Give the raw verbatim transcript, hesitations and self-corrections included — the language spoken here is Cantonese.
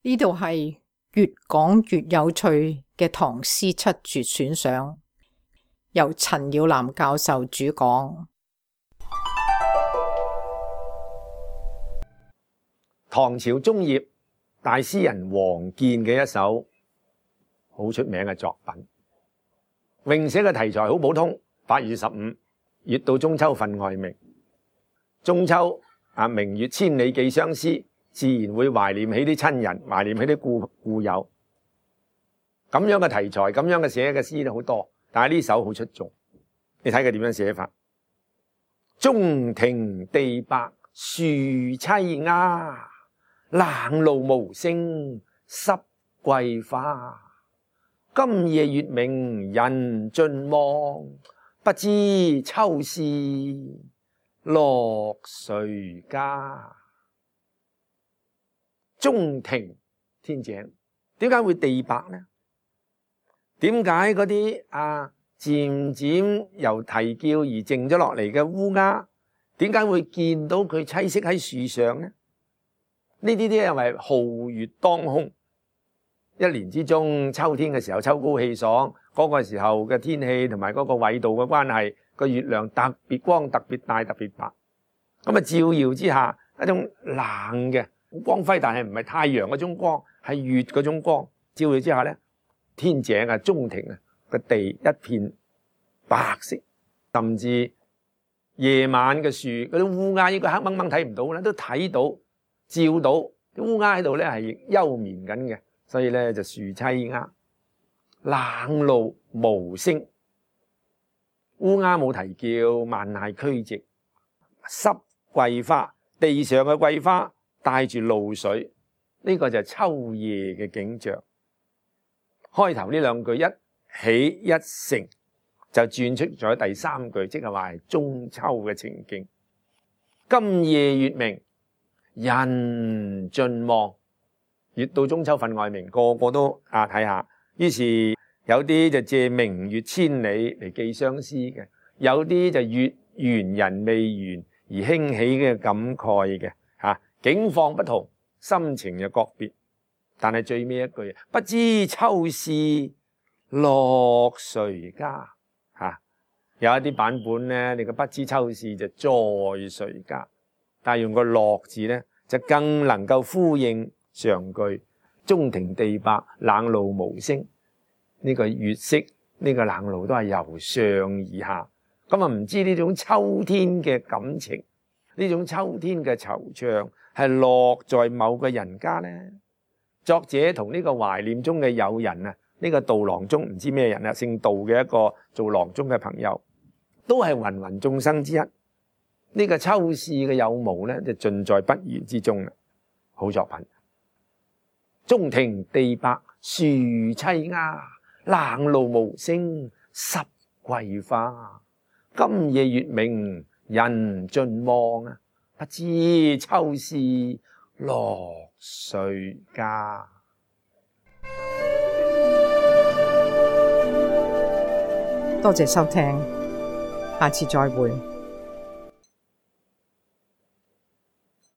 呢度係越講越有趣嘅唐詩七絕選賞，由陳耀南教授主講。唐朝中葉大詩人王建嘅一首好出名嘅作品，詠寫嘅題材好普通。八月十五，月到中秋分外明。中秋啊，明月千里寄相思，自然會懷念起啲親人，懷念起啲故故友。咁樣嘅題材，咁樣嘅寫嘅詩都好多，但係呢首好出眾。你睇佢點樣寫法？中庭地白樹淒鴉，冷露無聲濕桂花。今夜月明人盡望，不知秋是落誰家。中庭天井，點解會地白呢？點解嗰啲啊漸漸由啼叫而靜咗落嚟嘅烏鴉，點解會見到佢棲息喺樹上呢？呢啲啲係咪皓月當空？一年之中，秋天嘅時候秋高氣爽，嗰個時候嘅天氣同埋嗰個緯度嘅關係，個月亮特別光、特別大、特別白。咁啊照耀之下，一種冷嘅光輝，但係唔係太陽嗰種光，係月嗰種光照耀之下咧，天井啊、中庭啊個地一片白色，甚至夜晚嘅樹嗰啲烏鴉應該黑掹掹睇唔到啦，都睇到照到啲烏鴉喺度咧係休眠緊嘅。所以咧就樹淒鴉，冷露無聲，烏鴉冇啼叫，萬籟俱寂。濕桂花，地上嘅桂花帶住露水，呢、這個就係秋夜嘅景象。開頭呢兩句一起一成，就轉出咗第三句，即係話係中秋嘅情景。今夜月明人盡望。月到中秋分外明，個個都啊睇下。於是有啲就借明月千里嚟寄相思嘅，有啲就月圓人未圓而興起嘅感慨嘅嚇。境況不同，心情又各別。但係最尾一句，不知秋是落誰家嚇。有一啲版本咧，你個不知秋是就在誰家，但係用個落字咧，就更能夠呼應上句。中庭地白冷露無聲，呢、這個月色呢、這個冷露都係由上而下。咁啊唔知呢種秋天嘅感情，呢種秋天嘅惆悵係落在某個人家呢？作者同呢個懷念中嘅友人啊，呢、這個杜郎中唔知咩人啊，姓杜嘅一個做郎中嘅朋友，都係芸芸眾生之一。呢、這個秋事嘅有無呢，就盡在不言之中啦。好作品。中庭地白樹淒鴉，冷露無聲濕桂花。今夜月明人盡望啊，不知秋是落誰家。多謝收聽，下次再會。